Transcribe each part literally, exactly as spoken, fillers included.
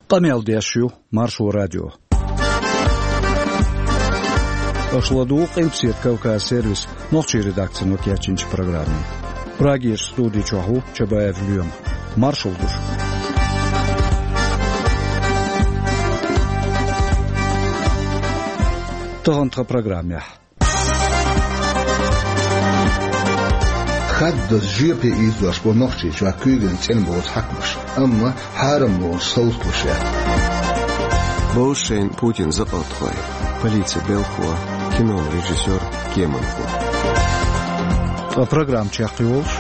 Къамел деш ю Маршо радио. Аша ладугӀу Къилбаседа Кавказ сервисан нохчийн редакцино кечйинчу программе. Прагерчу студи чохь ву Чабаев Лоьма. Маршалла ду шуьга. Тахана тхан программехь. Хаддаза жоьпе ийзош бу Нохчийчохь куьйгаллин цӀена боцу хьаькамаш, амма хьарамлонаш совцалуш яц. Бовзу шайна Путинан закъалтхой, полицин белхахо, кинон режиссёр, кеманхо. Ткъа программа чекхйолуш: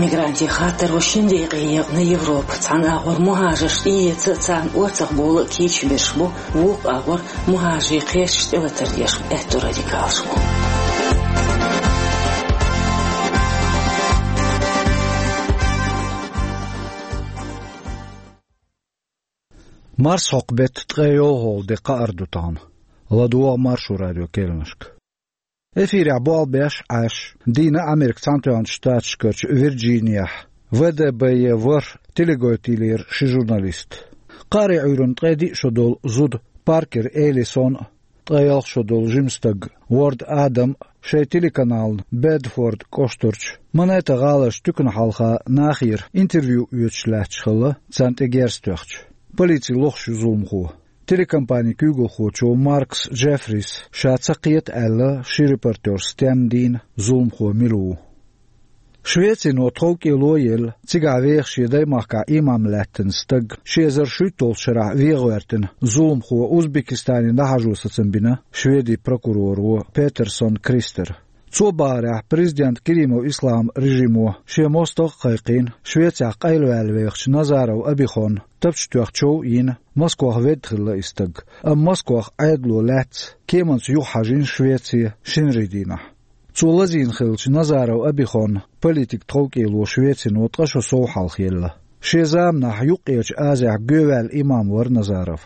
мигрантийн хаттаро шина декъе екъна Европа. Цхьана агӀор мухӀажарш тӀеэца а, царна орцахбовла а кийча берш бу, вукху агӀор мухӀажарийн кхерчаш тӀелатар деш аьтту радикалаш бу. Марсхьокху беттан ткъе йолхалгӀа де кхаара ду тахана. ЛадогӀа Маршо радион керланашка. Эфирехь болх беш Ӏаш, дийна Америкин Цхьаьнатоьхначу Штаташкарчу Вирджинехь В Д Б Е ворхӀ теленовелла йилира ши журналист. Кхаарин Ӏуьйранна ткъе диъ шо долу зуда Паркер Эллисон а, ткъе ялх шо долу жима стаг Уорд Адам а шайн телеканална Бедфорд кӀоштарчу Манеттан гӀаларчу туькана хьалха нахера интервью оьцуш лаьтташ хилла, царна тӀе герз тоьхча. Полици лохуш ю зуламхо. Телекомпанин куьйгалхочо Маркс Джеффрис ша ца кхета аьлла, ши репортёр стенна дийна зуламхо мила ву. Швецино тховкӀело а елла, цигахь веха шен даймахкахь имам лаьттина стаг ши эзар шуьйтталгӀачу шарахь вен гӀоьртина зуламхо Узбекистане дӀахьажо сацам бина Шведин прокуроро Петерсон Кристера. Цо бахарехь, президент Керимов Ислам режимо шен мостагӀ а кхайкхийна, Швецехь къайлаваьлла вехачу Назаров Абихонна тапча тоьхна чов а йина, Москвахь ведда хилла и стаг, амма Москвахь Ӏедало лаьцна кеманца юхахьажийна Швеце шинарин дийнахь. Цо лазийна хиллачу Назаров Абихонна политикан тховкӀело Швецино ткъа шо сов хьалха елла. Шен заманахь Юккъерчу Азехь гоьваьлла имам вара Назаров.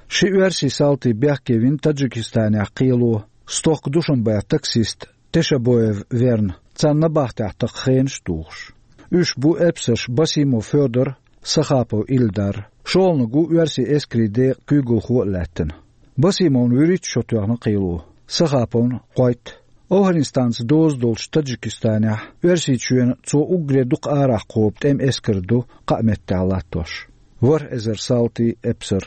Ши оьрсийн салти бехке вина Таджикистанехь кхело, стохка Душанбехь таксист Тешабоев верна, царна набахтехь такха хенаш а тухуш. Уьш бу эпсарш Басимов Фёдор, Сахапов Ильдар. ШолгӀаниг ву оьрсийн эскарийн декъан куьйгалхо а лаьттина. Басимовна вуьрхӀитта шо тоьхна кхело, Сахаповна кхойтта. Афганистанца доза долчу Таджикистанехь Оьрсийчоьнан цо уггаре дукха арахь кхобу тӀеман эскар ду кхаа меттехь латтош. ВорхӀ эзар салти, эпсар.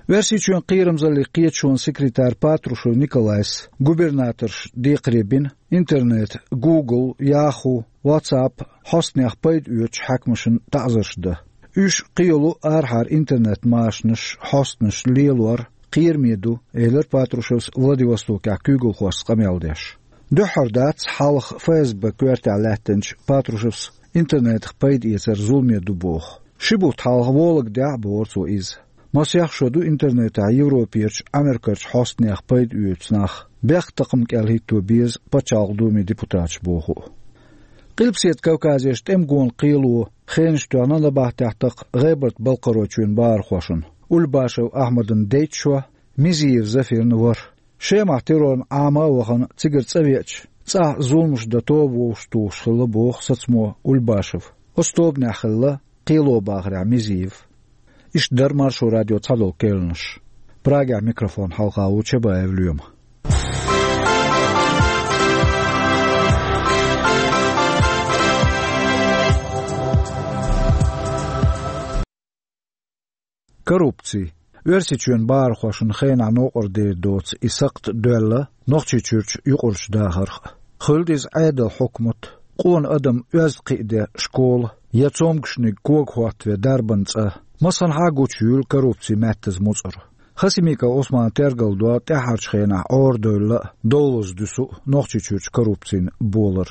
Оьрсийчоьнан кхерамзаллин кхеташонан секретара Патрушев Николайс губернаторшна декхаре бина интернет, Google, Yahoo, WhatsApp хьостанех пайда оьцучу хьаькамашна таӀзарш дан. Уьш кхияло арахьара интернет-машанаш, хьостанаш лелор кхераме ду, элира Патрушевс Владивостокехь куьйгалхошца къамел деш. Дуьххьара дац хьалха Ф С Б коьртехь лаьттинчу Патрушевс интернетах пайда эцар зуламе ду боху. Ши бутт хьалха вологдехь а бохура цо иза. Масех шо ду интернетехь Европерчу, Америкерчу хьостанех пайда оьцу нах, бехктакхаман кӀел хӀитто беза Пачхьалкхан Думин депутаташ боху. Къилбаседа Кавказерчу тӀеман гонан кхело хенаш тоьхна набахтехь такха ГӀебарта-Балкхаройчоьнан бахархошна Ульбашев Ахьмадан дейтта шо, Мизиев Зафирна ворхӀ. Шемахь террорна Ӏама а вахана, цигара цӀа веача, цӀахь зуламаш дан тоба вовшахтухуш хилла боху сацамо Ульбашев. Оцу тобанехь хилла кхело бахарехь Мизиев. Иштта дара Маршо радион цхьадолу керланаш. Прагехь микрофон хьалха ву Чабаев Лоьма. Коррупци. Оьрсийчоьнан бахархошна хенахь новкъарлера доцу и сакхт доьлла Нохчийчуьрчу юкъарчу дахарх а. Хуьлда иза Ӏедалан хьукмат, къона адам оьзда кхиаде школа я цомгушниг кога хӀоттаве дарбан цӀа. Массанхьа а гучуйийла коррупцин маьттаза муцӀар. Хасимиков Ӏусмана тергалдо тӀаьххьарчу хенахь Ӏорадевлла а, довлаза дуьсу а Нохчийчуьрчу коррупцин болар.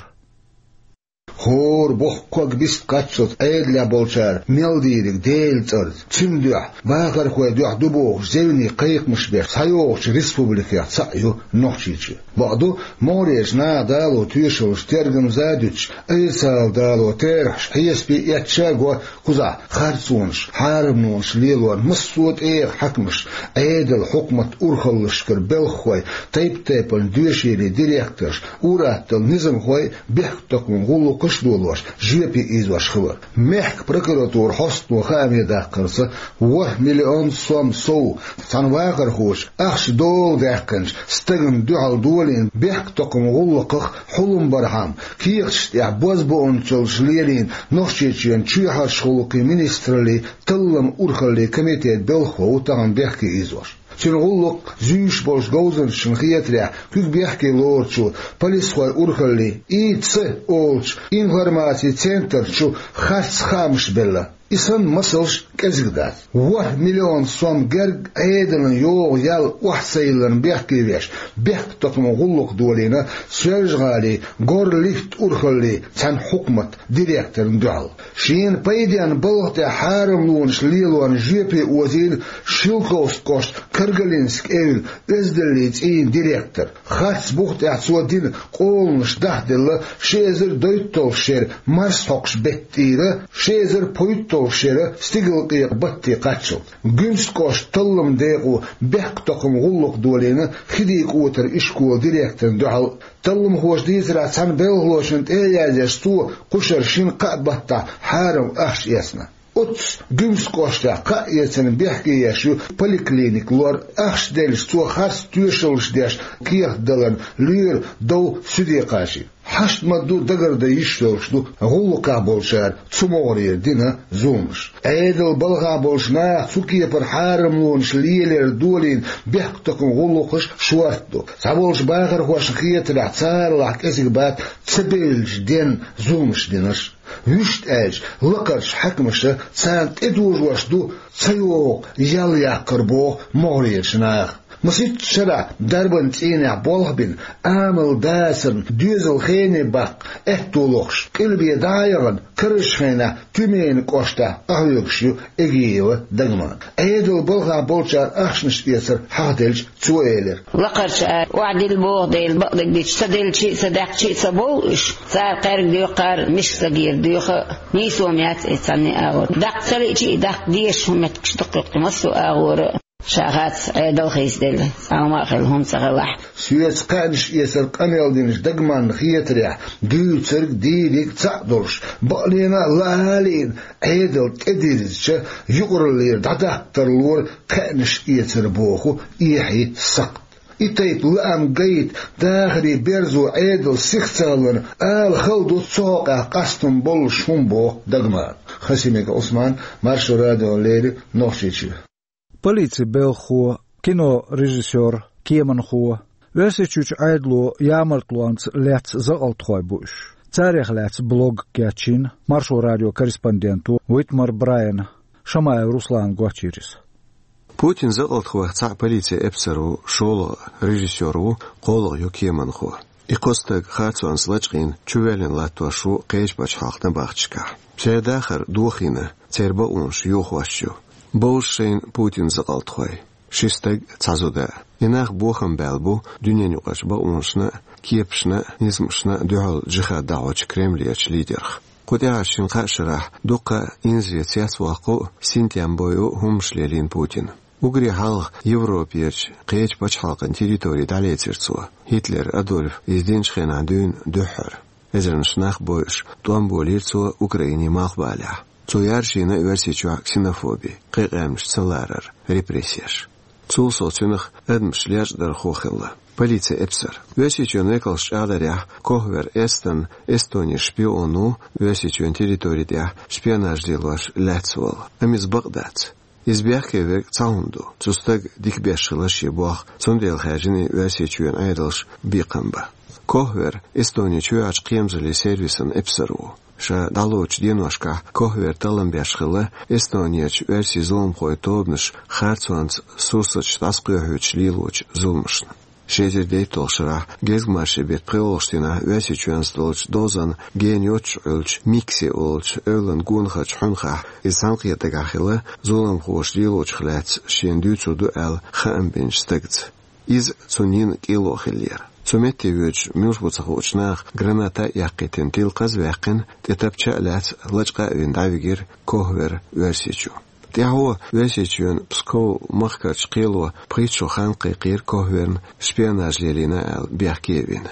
ХӀора боху ког бист кхаччалц Ӏедалехь болчара мел дийриг Делан цӀарца, цуьнан дуьхьа, бахархойн дуьхьа ду бохуш, зевне кхайкхамаш беш схьайогӀучу республикех цхьаъ ю Нохчийчоь. Бакъду, могӀарерчу наха дало тоьшаллаш тергамза а дуьтуш, айса дало терахьаш хьесапе а эцча а го, кхузахь харцонаш, хьарамлонаш лелоран массо а тӀегӀа хьаькамаш, Ӏедалан хьукмат урхаллашкара белхахой, тайп-тайпана доьшийлин директорш, ур-атталла низамхой бехктакхаман гӀуллакх гӀуш долош, жоьпе ийзош хилар. Мехка прокуратура хьостано хаамедаьккхарца, ворхӀ миллион сом сов цхьана вахархочо ахча дола даьккхинчу стагана дуьхьал долийна бехктокхаман гӀуллакхах хьулам бархьама, кехаташ тӀехь бозбуунчаллаш лелийна Нохчийчоьнан чоьхьарчу гӀуллакхийн министраллин талламан урхаллин комитетан белхахо ву тахана бехке ийзош. Цуьнан гӀуллакх зуьйш болчу говзанчашна хетарехь, куьг бехке лоручо, полисхойн урхаллин И Ц олучу информацин центрачу харц хаамаш белла. И санна масалш кӀезиг дац. ВорхӀ миллион сом герга Ӏедална йогӀу ял охьа ца йиллина бехке веш, бехктокхаман гӀуллакх долийна Соьлжа-ГӀалин Горлифт урхаллин цхьана хьукматан директорна дуьхьал. Шена пайденна балха тӀехь хьарамлонаш лелорна жоьпе озийна Шелковски кӀоштан Каргалински эвла оьздангаллин цӀийнан директор. Харц бух тӀехь цо дина къоланаш дахделла ши эзар дейтталгӀачу шеран марсхьокхуш беттан тӀера, ши эзар пхийтталгӀачу шеран стигалкъекъа баттан кхаччалц. Гуьмсан кӀоштан талламан декъо бехктокхаман гӀуллакх долийна Хидин-КӀотаран ишколан директорна дуьхьал. Талламхоша дийцарехь, цхьана белхалочунна тӀе а яздеш, цо кху шарахь шина-кхаа баттахь хьарам ахча эцна. Оццу Гуьмсан кӀоштахь кхаъ эцарна бехке еш ю поликлиника лор. Ахча делча, цо харц тоьшаллаш деш кехат даларна лоьру дов суьде кхачийна. Хьашт ма-дду дагардан йиш йолуш ду гӀуллакхехь болчара цу могӀарера дина зуламаш. Ӏедалан балхахь болчу наха цу кепара хьарамлонаш лелор долийна бехктокхаман гӀуллакхаш шорта ду. Цхьаболчу бахархошна хетарехь, царалахь кӀезиг бац ца бевллачу денна зуламаш динарш. Вуьшта аьлча, лакхарчу хьаькамаша царна тӀедожош ду ца йогӀу ял яккхар, боху могӀарерчу наха. Масийтта шарахь дарбан цӀийнехь болх бина, амал дацарна доьзал хене баккха аьтто лохуш, къилбе дӀа а яхана, карарчу хенахь Тюменан кӀоштахь къахьоьгуш ю Эгиева Дагман. Ӏедалан балхахь болчара ахчанаш эцар хьахаделча, цо элира: «Лакхарчу ара охьадилла боху дела, бакъдерг дича, ца делча а, ца даьккхича а ца бовлу уьш. Цара кхаьрга доьху, кхара миска стаг йийр доьху а, нийсо яц и цхьанне а агӀор. Даккха ца лиъча а, даккха дезаш хӀума меттигаш дукха ю кху массо а агӀора а. Ша хац, Ӏедал хийцаделла, цхьа хӀума а хилла хӀума ца хилахь». Соьца кхаьънаш эцар къамел динчу Дагманна хетарехь, дуьйцург дийриг цхьаъ долуш, бакъдерг а лаа а лиъна, Ӏедал тӀедирзича, юкъараллера дӀадаккха тарлора кхаьънаш эцар, боху эхье сакхт. И тайпа лаам гайта, дахаран берзо Ӏедал сиха ца хиларна, ала хала ду цу хьокъехь къастам боллуш хӀума, боху Дагмана. Хасимиков Ӏусман, Маршо радиона леррина, Нохчийчоь. Полицин белхахо, кинорежиссёр, кеманхо, Оьрсийчуьрчу Ӏедало ямартлонца лаьцна закъалтхой бу уьш. Царех лаьцна блог кечйина Маршо радион корреспонденто Витмар Брайана. Шамаев Руслана гочйира иза. Путинан закъалтхойх цхьаъ полицин эпсар ву, шолгӀа режиссёр ву, кхоалгӀа ю кеманхо. И кхо стаг харцонца лачкъийна чувоьллина латтош ву кхечу пачхьалкхан набахташкахь. Церан дахар дохийна, церан бакъонаш йохош ю. Бовзу шайна Путинан закъалтхой: ши стаг, цхьа зуда. И нах бохам баьлла бу дуьненаюкъарчу бакъонашна а, кепашна а, низамашна а дуьхьал джихад дӀахьочу Кремлерчу лидерх. Кху тӀаьхьарчу шина-кхаа шарахь дуккха а инзаре цецваккха а, синтем бойъу а хӀуманаш лелийна Путина. Уггаре хьалха Европерчу кхечу пачхьалкхан территори дӀалецира цо, Гитлер Адольф иза динчу хенахь дуьйна дуьххьара. Эзарнаш нах бойъуш, тӀом болийра цо Украинин малхбалехь. Цо яржийна Оьрсийчохь ксенофоби, кхин къаьмнаш ца ларар, репрессеш. Цул сов цуьнах адамаш лечкъадархо хилла, полицин эпсар. Оьрсийчоьнан векалша чӀагӀдарехь, Кохвер Эстон Эстонин шпион ву, Оьрсийчоьнан территори тӀехь шпионаж лелош лаьцна волу. Амма иза бакъ дац. Иза бехке верг цхьа хӀума ду: цу стага дика беш хилла шен болх, цундела хаьржина Оьрсийчоьнан Ӏедалш бекхам бан. Кохвер Эстонин чоьхьарчу кхерамзаллин сервисан эпсар ву. Ша дӀалоцучу деношкахь Кохвер таллам беш хилла Эстонерчу оьрсийн зуламхойн тобанаш харцонца сурсаташ дӀасакхоьхьуьйтуш лелочу зуламашна. Ши эзар дейтталгӀачу шарахь гезгмашин беттан пхоьалгӀачу дийнахь Оьрсийчоьнца долчу дозанна гена йоццуш Ӏуьллучу Микси олучу эвлан гонахарчу хьуьнхахь иза цхьаьнакхетаргахь хилла зуламхоша лелочух лаьцна шена дуьйцур ду аьлла хаам бинчу стагца. Иза цунна йина кӀело хиллера. Цу метте воьдуш муьлш бу ца хуучу наха граната а яккхийтина, тилла хаза ваьккхина, тӀе тапча а лаьцна, лачкъа а вина дӀавигира Кохвер Оьрсийчу. ТӀаьхьо Оьрсийчоьнан Псков махкарчу кхело пхийтта шо хан кхайкхийра Кохверна шпионаж лелийна аьлла бехке а вина.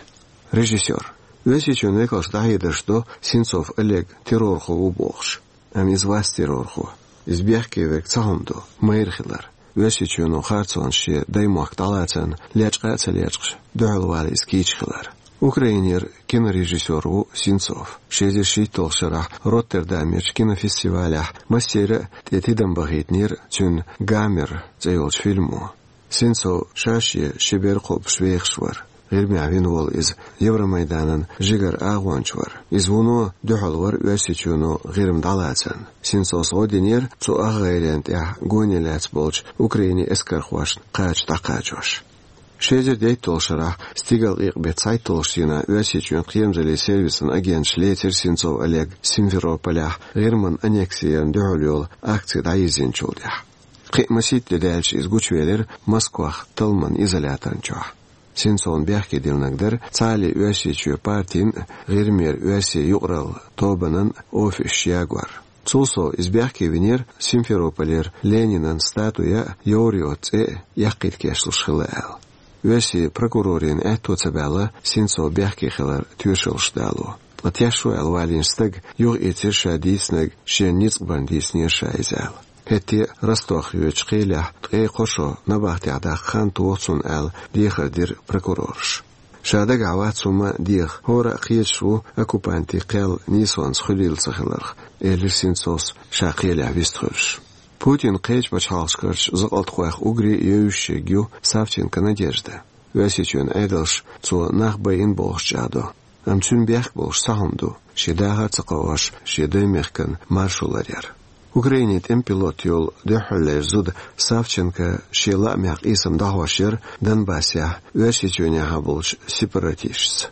Режиссёр. Оьрсийчоьнан векалш дӀахьедарш до, Сенцов Олег террорхо ву бохуш. Амма иза вац террорхо. Иза бехке верг цхьа хӀума ду, майра хилар. Оьрсийчоьно харцонаш шен даймохк дӀалацарна лечкъа а ца лечкъаш, дуьхьал вала иза кийча хилар. Украинера кинорежиссёр ву Сенцов. Ши эзар шийтталгӀачу шарахь Роттердамерчу кинофестивалехь массеран а тӀе тидам бахийтинера цуьнан «Гамер» цӀе йолчу фильмо. Сенцов ша-шен ши бер кхобуш вехаш вара. ГӀирмехь вина волу иза Евромайданан жигара агӀонча вара. Иза вуно дуьхьал вара Оьрсийчоьно ГӀирма дӀалацарна. Сенцовс гӀо динера цу ах гӀайренна тӀехь гоне лаьцна болчу Украинин эскархошна кхача дӀакхачош. Ши эзар дейтталгӀачу шарахь стигалкъекъа беттан цхьайтталгӀачу дийнахь Оьрсийчоьнан кхерамзаллин сервисан агенташа лецира Сенцов Олег Симферополехь ГӀирман аннекси ярна дуьхьал йолу акци дӀайирзинчул тӀаьхьа. Кхин а масийтта де даьлча иза гучувелира Москвахь талламан изоляторна чохь. Сенцовна бехке диллинарг дара цхьааллин Оьрсийчоь партин а, ГӀирмера оьрсийн юкъаралла тобанан а офисаш ягор. Цул сов иза бехке винера Симферополера Ленинан статуя а, Йовриот цӀе а яккхийта кечлуш хилла аьлла. Оьрсийн прокурорийн аьтто ца баьлла Сенцов бехке хилар тоьшаллаш дало. Ткъа тешо аьлла валийна стага юхаэцира ша дийцинарг шена ницкъ барна дийцинера ша иза аьлла. ХӀетте а Ростовехь йоьдучу кхелехь ткъе кхо шо набахтехь даккха хан тоха цунна аьлла, дехар дира прокурораша. Ша дагахь вац хӀума а деха, хӀора а кхеташ ву оккупантийн кхел нийсонца хуьлийла ца хиларх, элира Сенцовс ша кхелехь вистхуьлуш. Путинан кхечу пачхьалкхашкарчу закъалтхойх уггаре а евзашверг ю Савченко Надежда. Оьрсийчоьнан Ӏедалша цо нах байина бохуш чӀагӀдо. Амма цуьнан бехк болуш цхьа хӀума ду, шен дахар а ца кхоош, шен даймехкан маршо ларъяр. Украинин тӀеман пилот йолу дуьххьарлера зуда Савченко шен лаамехь къийсам дӀахьош яра Донбассехь Оьрсийчоьнехьа болчу сепаратисташца.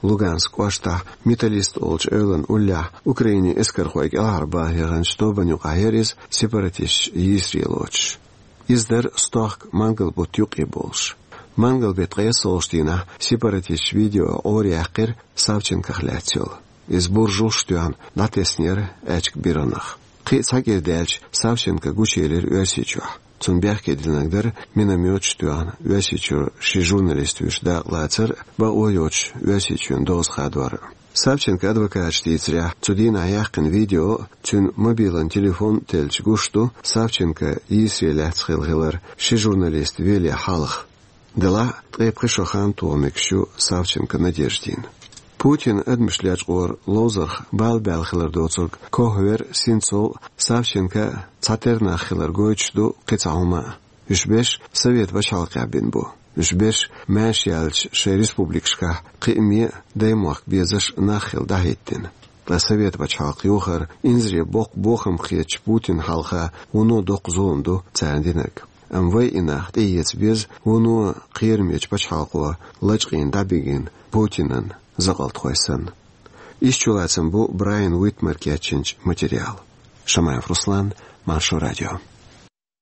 Луганск кӀоштахь Металлист олучу эвлан уллехь Украинин эскархой кӀелхьарбаха яханчу тобанна юкъахь яра иза, сепаратисташ йийсаре лоцуш. Иза дара стохка мангал бутт юккъе болуш. Мангал беттан ткъайоьсналгӀачу дийнахь сепаратисташа видео Ӏораяьккхира Савченкох лаьцна йолу. Иза буржалш а тоьхна дӀатеснера аьчка биргӀанах. Кхин а цхьа кӀира даьлча, Савченко гучуелира Оьрсийчохь. Цунна бехке динарг дара минометаш а тоьхна Оьрсийчуьра ши журналист вуьйш дакъалацар а, бакъо йоцуш Оьрсийчоьнан доза хадор а. Савченкон адвокаташа дийцарехь, цу дийнахь яьккхина видео а, цуьнан мобилан телефон а теллича гуш ду Савченко йийсаре лаьцна хилла хилар ши журналист веле хьалха. Делахь а ткъе пхи шо хан тоха мегаш ю Савченко Надеждина. Путинан адамаш лечкъоран ловзарх бала баьлла хилар доцург кохвер Сенцов а, Савченко а цхьатерра нах хилар гойтуш ду кхин цхьа хӀума а. Уьш берш Совет пачхьалкхехь бина бу. Уьш берш маьрша яьллачу шайн республикашкахь кхиаме а даймохк безаш нах хилла дӀахӀиттина. Ткъа Совет пачхьалкх йохар инзаре боккха бохам хетачу Путинна хьалха вуно доккха зулам ду царна динарг. Амма вай и нах тӀеэца беза вуно кхерамечу пачхьалкхо лачкъийна дӀабигина Путинан закъалтхой санна. Иштта чулацам бу Брайан Уитмар кечйинчу материалан. Шамаев Руслан, Маршо радио.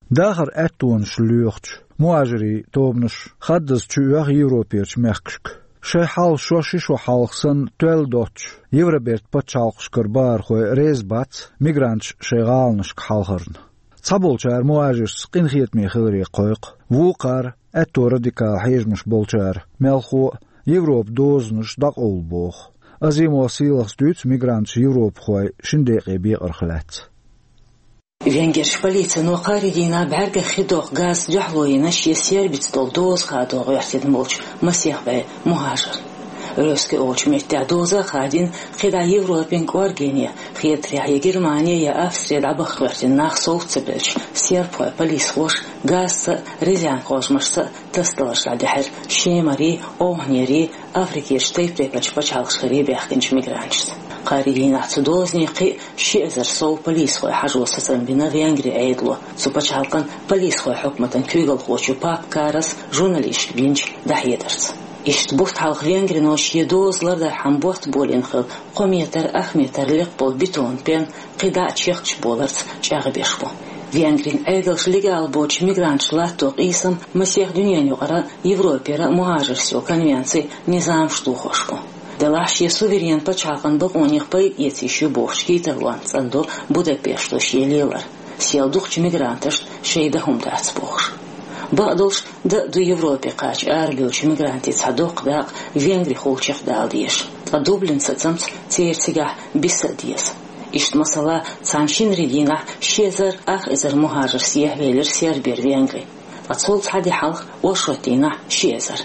Дахаран аьттонаш лоьхучу мухӀажирийн тобанаш хаддаза чуоьху Европерчу мехкашка. Шайн хьал шо ши шо хьалха санна тоьлла доцучу Евробертан пачхьалкхашкара бахархой реза бац мигранташ шайн гӀаланашка хьалхарна. Цхьаболчара мухӀажиршца къинхетаме хиларе кхойкху, вукхара, аьтто радикал хьежамаш болчара, мелхо а, Европан дозанаш дӀакъовла боху. Азимов Сийлахьс дуьйцу мигранташа европахой шина декъе бекъарх лаьцна. Венгерчу полицино кхаарин дийнахь бӀаьргех хи доккху газца дуьхьало йина шен сербица долу доза хадо гӀоьртина болчу масех бӀе мухӀажарна. Рёски олучу меттехь доза а хадийна, кхидӀа Европин кӀоргене, хетарехь, я Германи, я Австри дӀабаха гӀоьртина нах совца ца белча, сербхойн полисхоша газца а, резан кхожамашца а тасадаларш дӀадаьхьира шемарий, овхӀанерий, Африкерчу тайп-тайпанчу пачхьалкхашкарий баьхкинчу мигранташца. Кхаарин дийнахь цу дозане кхин а ши эзар сов полисхой хьажо сацам бина Венгрин Ӏедало, цу пачхьалкхан полисхойн хьукматан куьйгалхочо Пап Карас журналисташка бинчу дӀахьедарца. Иштта бутт хьалха Венгрино шен доза лардархьама ботт болийна хилла кхо метр, ах метр лекха болу бетонан пен кхидӀа а чехкаш боларца чӀагӀбеш бу. Венгрин Ӏедалша легал боцучу мигранташа латто къийсам масех дуьненан юкъара Европера мухӀажаршца йолу конвенцин низамаш тухуш бу. Делахь шен суверенан пачхьалкхан бакъонех пайда эца йиш ю бохучу кийчарлонца цӀандо Будапешто шен лелар, сел дукхачу мигранташна шайн дан хӀума дац бохуш. Бакъдолуш, дан а ду Европе кхача арабевллачу мигрантийн цхьа доккха дакъа Венгри холчех дала дезаш. Ткъа Дублин сацамца церан цигахь биса а деза. Иштта, масала, цхьана шинарин дийнахь ши эзар ах эзар мухӀажар сехьавелира Сербера Венгри. Ткъа цул цхьа де хьалха оршот дийнахь ши эзар.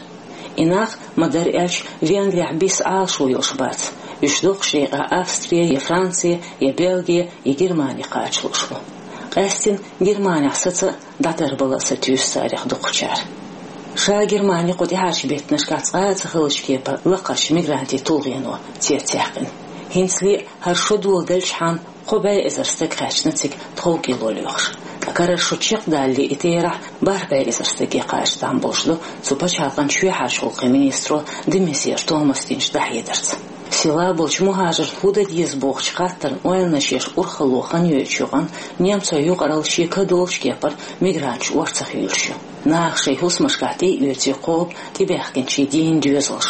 И нах, ма-дарра аьлча, Венгрехь биса Ӏалашо йолуш бац. Уьш дукхачу декъехь Австри, я Франци, я Бельги, я Германи кхача лууш бу. Къаьсттина Германехь саца а, дӀатарбала а сатуьйсу царех дукхачара. Ша Германи кху тӀаьхьарчу беттанашкахь цкъа а ца хиллачу кепара лакхарчу мигрантийн тулгӀено цецъяьккхина. ХӀинцале а хӀара шо доладелчхьана кхо бӀе эзар стаг хаьчна цига тховкӀело лоьхуш. Ткъа карара шо чекхдалале и терахь бархӀ бӀе эзар стаге кхача там болуш ду цу пачхьалкхан чоьхьарчу гӀуллакхийн министро де Мезьер Томаса динчу дӀахьедарца. Села болчу мухӀажарна хӀун дан деза бохучу хаттарна ойланаш еш урхалло хан йойтучу юкъана немцойн юкъаралла шен кадолчу кепара мигранташ орцах юьйлуш ю. Наха шайн хӀусамашкахь тӀе а оьций кхобу тӀебаьхкинчийн дийнан доьзалш.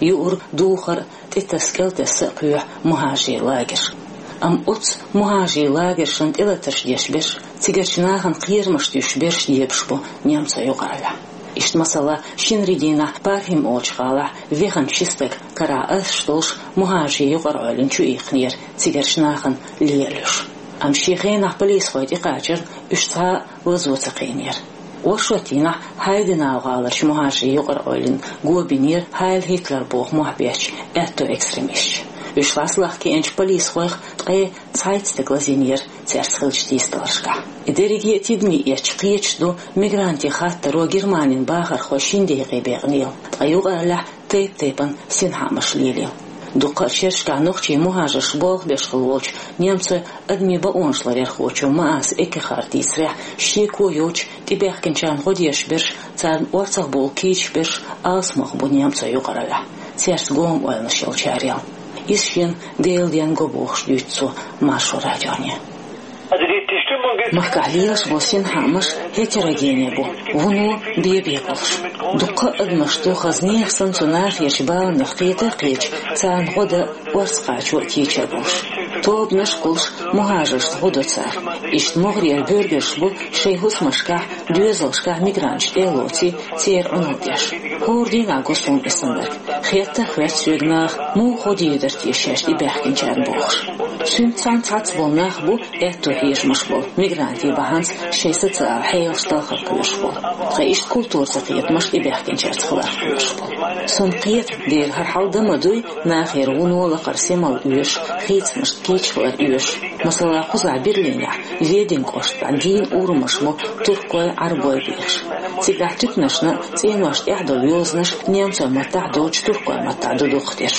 Юург, духар, тӀетасса, кӀелтесса а кхоьхьу мухӀажарийн лагерш. Амма оцу мухӀажарийн лагершна тӀелатарш деш берш, цигарчу нахана кхерамаш туьйсуш берш дебаш бу немцойн юкъараллехь. Иштта, масала, шинарин дийнахь Пархим олучу гӀалахь веханчу ши стаг карахь асуш долуш мухӀажарийн юкъараллин чу иккхинера цигарчу нахана лелош. Амма шен хенахь полисхой тӀекхачарна уьш цхьа а лазо ца кхиънера. Оршот дийнахь Хайденау гӀаларчу мухӀажарийн юкъараллина го бинера Хайль Гитлер боху мохь беттачу аьтто экстремисташа. Уьш ласлахкиъначу полисхойх ткъе цхьайтта стаг лазийнера цаьрца хиллачу дийцараллашкахь. И дерриге а тидаме эцча кхеташ ду мигрантийн хаттаро Германин бахархой шина декъе бекънийла, ткъа юкъараллехь тайп-тайпана синхаамаш лелийла. Дуккха а шерашкахь нохчийн мухӀажарш болх беш хилла волчу немцойн адамийн бакъонаш ларъярхочо Маас Эккехарда дийцарехь, шеко йоцуш тӀебаьхкинчарна гӀо деш берш, царна орцах бовла кийча берш алсамох бу немцойн юкъараллехь, цаьрца гома ойланаш йолчарел. Иза шена Делан денна го бохуш дуьйцу цо Маршо радионе. Махкахь лелаш болу синхаамаш гетерогени бу, вуно бен-бен болуш. Дуккха а адамаш ду, хаза нехан санна цу нахерчу баланех кхета а кхеташ, царна гӀо дан орца кхачо а кийча а болуш. Тобанаш а кхуллуш, мухӀажаршна гӀо до цара. Иштта могӀарера буьрсаш бу шайн хӀусамашкахь, доьзалшкахь мигранташ тӀе а лоций, церан Ӏуналла деш. ХӀора дийнахь го суна и саннарг. Хетта а хоьтту соьга наха, муха гӀо дийр дара те шаьш тӀебаьхкинчарна бохуш. Цуьнца цхьаьна цхьацца болу нах бу, аьтто хьежамаш болу, мигрантийн бахьанца шайн социалан хьелаш талхар кхоьруш болу. Ткъа иштта культура ца кхетамаш тӀебаьхкинчаьрца хилар кхоьруш болу. Суна кхета, дера хӀара хьал дан ма дуй, нахера вуно лакхара семалла оьшуш, хийцамашна кийча хилар оьшуш. Масала, кхузахь Берлинехь, Ведень кӀоштахь дийна урамаш бу туркой, Ӏарбой бехаш. Цигахь туьканашна цӀеношна тӀехь долу йозанаш немцойн маттахь долчу туркойн маттахь ду дукхахдерш.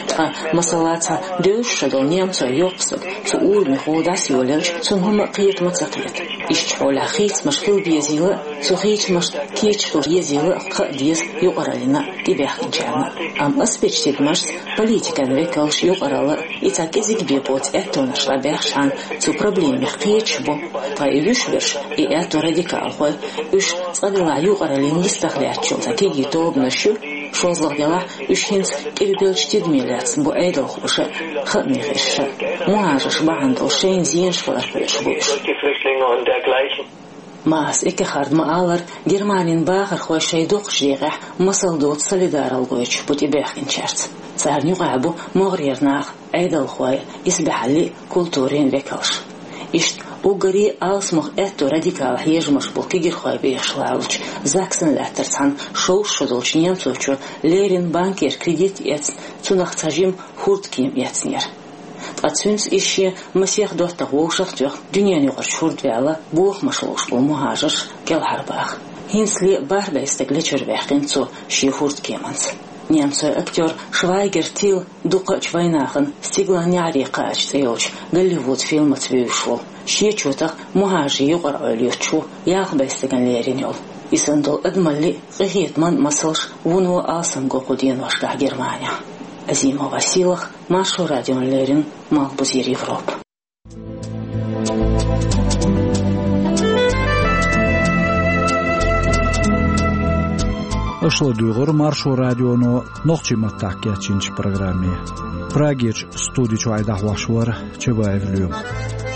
Ткъа, масала, цхьа девзаш шо долу немцойн йоккха стаг цу урамехула дӀасайолаелча, цунна хӀума а кхета ма ца кхета. Иштта хьолехь хийцамаш хила безийла а, цу хийцамашна кийча хила езийла а хаа деза юкъараллина а, тӀебаьхкинчарна а. Амма ас бечу тидамашца политикан векалш, юкъаралла а, и цхьа кӀезиг бен боцу аьттонаш дӀабаьхчахьана, цу проблемех кхеташ бу. Ткъа и вуьш берш, и аьтто радикалхой, уьш цкъа делахь юкъараллин йистах лаьтташ йолу цхьа кегий тобанаш ю, шозлагӀа делахь уьш хӀинца къилбеллачу тидаме лаьцна бу Ӏедалхоша а, хааман хьешаша а. МухӀажарш бахьана долу шайна зенаш хилар кхоьруш бу уьш. Маас Эккехарда ма-аллара, Германин бахархой шайн доккхачу декъехь масал доцу солидаралла гойтуш бу тӀебаьхкинчаьрца. Царна юкъахь бу могӀарера нах, Ӏедалхой, исбаьхьаллин а, культурин а векалш. Иштта уггаре а алсамох аьтто радикал хьежамаш болу кегирхой бехаш лалучу Заксен-лаьттара цхьана шовзткъа шо долчу немцочо леррина банкера кредит эцна, цунах цхьа жима хӀордкема эцнера. Ткъа цуьнца иза шен масех доттагӀа вовшах а тоьхна, дуьненаюкъарчу хӀорда ваьлла, бохамаш ловш болу мухӀажарш кӀелхьарбаха. ХӀинцале а бархӀ бӀе стаг лечуьра ваьккхина цо шен хӀордкеманца. Немцойн актёр Швайгер Тил дукхачу вайнахана «Стиглан неӀаре кхача» цӀе йолчу Голливуд фильмаца вевзаш волу. Шен чотах мухӀажарийн юкъаралла йоцуш ву ялх бӀе стагана лерина йолу. И санна долу адамаллин а, къинхетаман а масалш вуно алсам го кху деношкахь Германехь. Азимова Сийлаха, Маршо радиона леррина, Малхбузера Европа. Аша ладуьйгӀира Маршо радионо нохчийн маттахь кечйинчу программе. Прагерчу студи чуьра дӀахьош вара Чабаев Лоьма.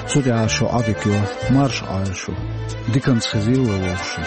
Цу тӀехь шу Ӏодика йо, марша Ӏойла шу. Диканца хезийла вовшашна.